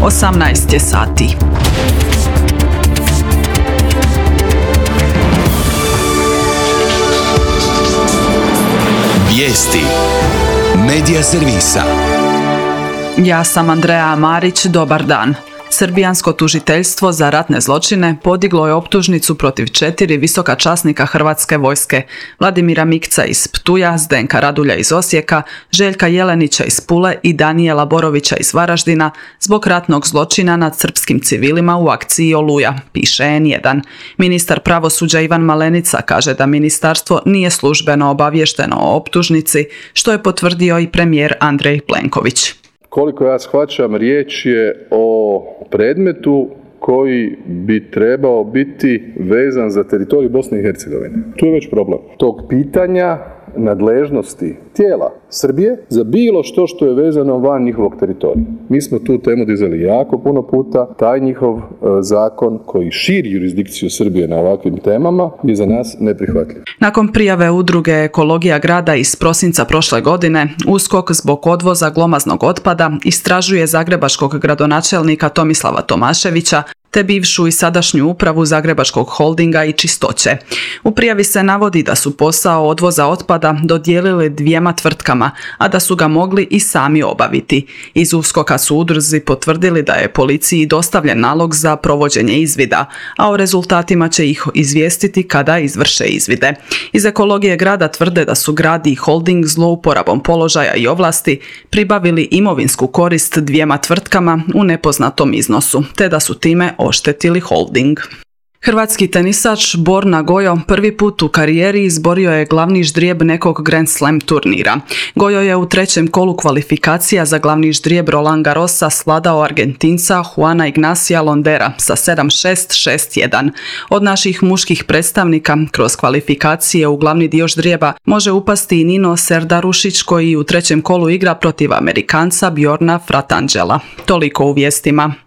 18 je sati. Vijesti Medija servisa. Ja sam Andreja Marić, dobar dan. Srbijansko tužiteljstvo za ratne zločine podiglo je optužnicu protiv 4 visoka časnika Hrvatske vojske: Vladimira Mikca iz Ptuja, Zdenka Radulja iz Osijeka, Željka Jelenića iz Pule i Danijela Borovića iz Varaždina zbog ratnog zločina nad srpskim civilima u akciji Oluja, piše N1. Ministar pravosuđa Ivan Malenica kaže da ministarstvo nije službeno obaviješteno o optužnici, što je potvrdio i premijer Andrej Plenković. Koliko ja shvaćam, riječ je o predmetu koji bi trebao biti vezan za teritorij Bosne i Hercegovine. Tu je već problem tog pitanja nadležnosti tijela Srbije za bilo što je vezano van njihovog teritorija. Mi smo tu temu dizali jako puno puta. Taj njihov zakon koji širi jurisdikciju Srbije na ovakvim temama je za nas neprihvatljiv. Nakon prijave udruge Ekologija grada iz prosinca prošle godine, USKOK zbog odvoza glomaznog otpada istražuje zagrebačkog gradonačelnika Tomislava Tomaševića te bivšu i sadašnju upravu Zagrebačkog holdinga i Čistoće. U prijavi se navodi da su posao odvoza otpada dodijelili 2 tvrtkama, a da su ga mogli i sami obaviti. Iz USKOK-a su udruzi potvrdili da je policiji dostavljen nalog za provođenje izvida, a o rezultatima će ih izvijestiti kada izvrše izvide. Iz Ekologije grada tvrde da su grad i holding zlouporabom položaja i ovlasti pribavili imovinsku korist 2 tvrtkama u nepoznatom iznosu, te da su time oštetili holding. Hrvatski tenisač Borna Gojo prvi put u karijeri izborio je glavni ždrijeb nekog Grand Slam turnira. Gojo je u 3. kolu kvalifikacija za glavni ždrijeb Roland Garrosa svladao Argentinca Juana Ignacia Londera sa 7-6, 6-1. Od naših muških predstavnika kroz kvalifikacije u glavni dio ždrijeba može upasti i Nino Serdarušić, koji u 3. kolu igra protiv Amerikanca Bjorna Fratangela. Toliko u vijestima.